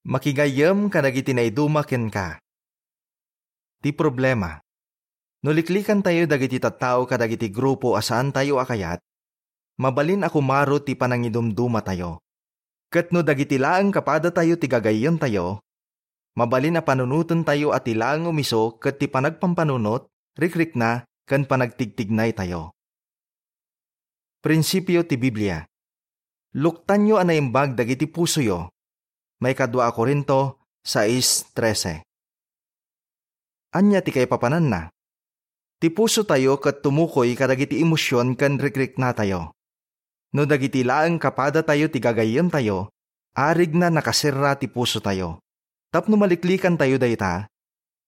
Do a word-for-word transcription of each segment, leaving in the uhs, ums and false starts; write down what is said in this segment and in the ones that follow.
Makigayyem kadagiti naiduma kenka. Ti problema, no liklikantayo dagiti tattao kadagiti grupo a saantayo a kayat, mabalin a kumaro ti panangidumdumatayo. Ket no dagiti laeng kapadatayo ti gagayyemtayo, mabalin a panunotentayo a ti laeng umiso ket ti panagpampanunot, rikrikna, ken panagtigtignaytayo. Prinsipio ti Biblia. Luktanyo a naimbag dagiti pusoyo. Maikadua a Corinto sais trese. Ania ti kaipapananna? Ti pusotayo ket tumukoy kadagiti emosion ken rikriknatayo. No dagiti laeng kapadatayo ti gagayyemtayo, arigna nakaserra ti pusotayo. Tapno maliklikantayo dayta,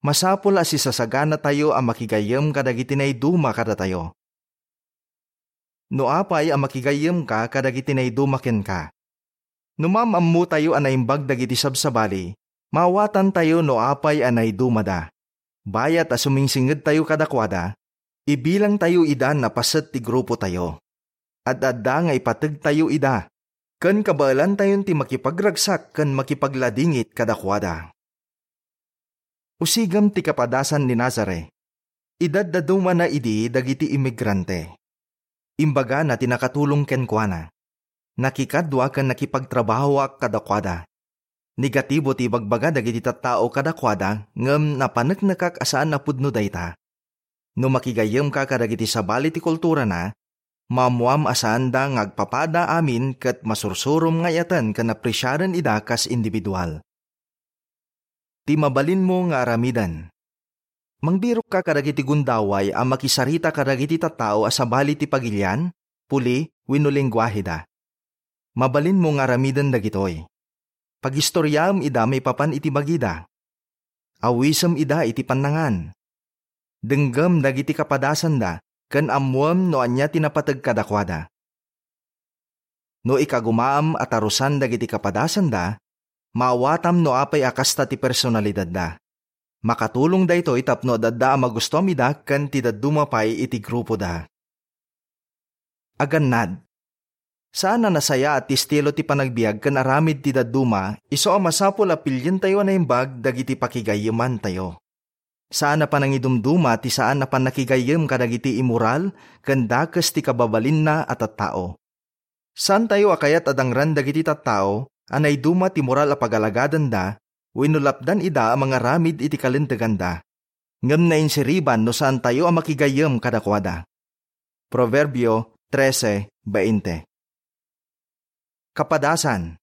masapul a sisasaganatayo a makigayyem kadagiti naiduma kadatayo. No apay a makigayyemka kadagiti naiduma kenka? No maam-ammotayo a naimbag dagiti sabsabali, maawatantayo no apay a naidumada. Bayat a sumingsingedtayo kadakuada, ibilangtayo ida a paset ti grupotayo. Ad-adda nga ipategtayo ida, ken kabaelantayon ti makipagragsak ken makipagladingit kadakuada. Usigem ti kapadasan ni Nazare. Idaddadumana idi dagiti imigrante. Imbagana ti nakatulong kenkuana. Nakikadua ken nakipagtrabahoak kadakuada. Negatibo ti ibagbaga dagiti tattao kadakuada, ngem napaneknekak a saan a pudno dayta. No makigayyemka kadagiti sabali ti kulturana, maammoam a saanda nga agpapada amin ket masursurom nga ayaten ken apresiaren ida kas individual. Ti mabalinmo nga aramiden. Mangbirokka kadagiti gundaway a makisarita kadagiti tattao a sabali ti pagilian, puli, wenno lenguaheda. Mabalinmo nga aramiden dagitoy. Pagistoriaem ida maipapan iti bagida. Awisem ida iti pannangan. Denggem dagiti kapadasanda ken ammoem no ania ti napateg kadakuada. No ikagumaam a tarusan dagiti kapadasanda, maawatam no apay a kasta ti personalidadda. Makatulong daytoy tapno adda a magustuam ida ken ti dadduma pay iti grupoda. Agannad. Saan a nasayaat ti estilo ti panagbiag ken aramid ti dadduma, isu a masapul a pilientayo a naimbag dagiti pakigayyemantayo. Saan a panangidumduma ti saan a pannakigayyem kadagiti immoral ken dakes ti kababalinna a tattao. Saantayo a kayat a dangran dagiti tattao a naiduma ti moral a pagaladanda wenno lapdan ida a mangaramid iti kalinteganda, ngem nainsiriban no saantayo a makigayyem kadakuada. Proverbio trese veinte. Kapadasan,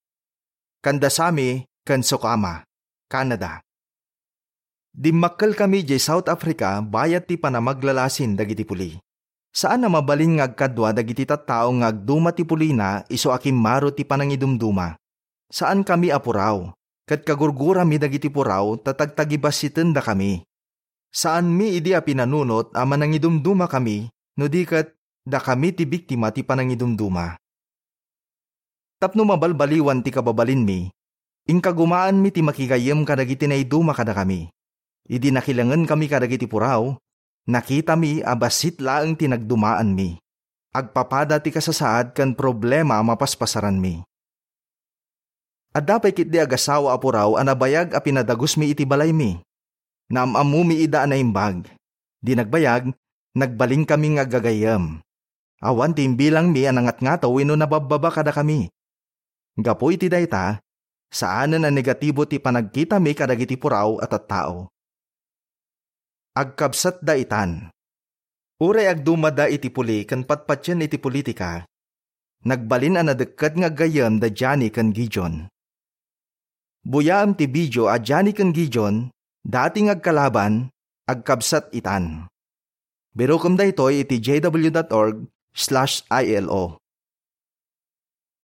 kanda Sami ken Sukama, Canada. Dimmakkelkami idiay South Africa bayat ti panamaglalasin dagiti puli. Saan a mabalin nga agkadua dagiti tattao nga agduma ti pulina isu a kimmaro ti panangidumduma. Saankami a puraw, ket kagurgurami dagiti puraw ta tagtagibassitendakami. Saanmi idi a pinanunot a manangidumdumakami no di ket dakami ti biktima ti panangidumduma. Tapno mabalbaliwan ti kababalinmi, inkagumaanmi ti makigayyem kadagiti naiduma kadakami. Idi nakilengenkami kadagiti puraw, nakitami a bassit laeng ti nagdumaanmi. Agpapada ti kasasaad ken problema a mapaspasaranmi. Adda pay ketdi agasawa a puraw a nabayag a pinadagusmi iti balaymi. Naam-ammomi ida a naimbag. Di nagbayag, nagbalinkami nga aggagayyem. Awan ti imbilangmi a nangatngato wenno nababbaba kadakami. Gapu iti dayta, saanen a negatibo ti panagkitami kadagiti puraw a tattao. Agkabsatda itan. Uray agdumada iti puli ken patpatien iti politika, nagbalin a nadekket nga aggayyem da Johnny ken Gideon. Buyaem ti video a Johnny ken Gideon, dati nga agkalaban, agkabsat itan. Birokem daytoy iti j w dot org slash i l o.